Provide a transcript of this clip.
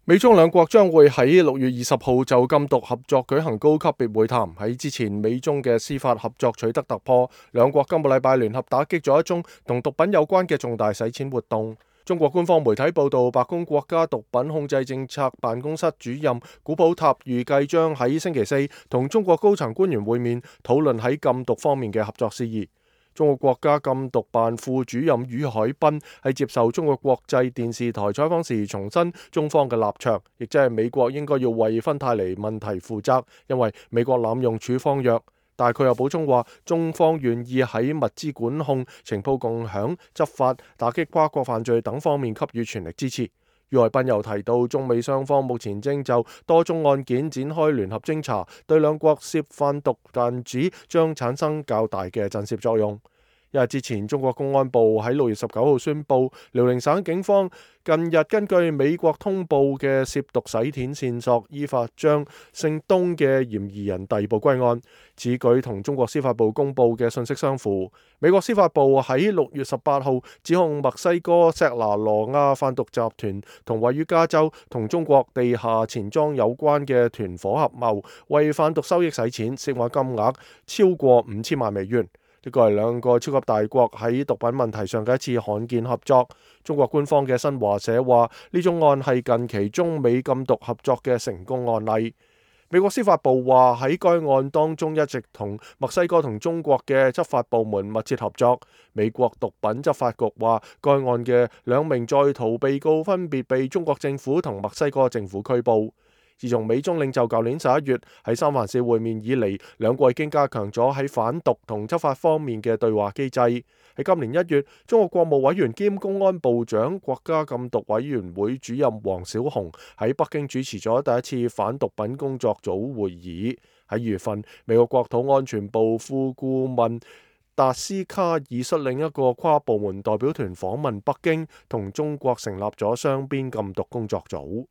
美中兩國將會喺6月20號就禁毒合作舉行高級別會談。喺之前，美中嘅司法合作取得突破，兩國今個禮拜聯合打擊咗一宗同毒品有關嘅重大洗錢活動。中國官方媒體報道，白宮國家毒品控制政策辦公室主任古普塔預計將喺星期四同中國高層官員會面，討論喺禁毒方面嘅合作事宜。中國國家禁毒辦副主任于海濱喺接受中國國際電視台採訪時重申中方嘅立場，亦即係美國應該要為芬太尼問題負責，因為美國濫用處方藥。但係佢又補充話，中方願意喺物資管控、情報共享、執法、打擊跨國犯罪等方面給予全力支持。于海濱又提到，中美雙方目前正就多宗案件展開聯合偵查，對兩國涉販毒彈子將產生較大嘅震懾作用。一日之前，中國公安部喺6月19號宣布，遼寧省警方近日根據美國通報嘅涉毒洗錢線索，依法將姓東嘅嫌疑人逮捕歸案。此舉同中國司法部公布嘅信息相符。美國司法部喺6月18號指控墨西哥錫拿羅亞販毒集團同位於加州同中國地下錢莊有關嘅團伙合謀，為販毒收益洗錢，涉案金額超過5000萬美元。呢個係兩個超級大國喺毒品問題上嘅一次罕見合作。中國官方嘅新華社話，呢種案係近期中美禁毒合作嘅成功案例。美國司法部話喺該案當中一直同墨西哥同中國嘅執法部門密切合作。美國毒品執法局話，該案嘅2名在逃被告分別被中國政府同墨西哥政府拘捕。自從美中領袖舊年11月喺三藩市會面以嚟，兩國已經加強咗喺反毒同執法方面嘅對話機制。喺今年1月，中國國務委員兼公安部長、國家禁毒委員會主任王小洪喺北京主持咗第一次反毒品工作組會議。喺2月份，美國國土安全部副顧問達斯卡爾率領一個跨部門代表團訪問北京，同中國成立咗雙邊禁毒工作組。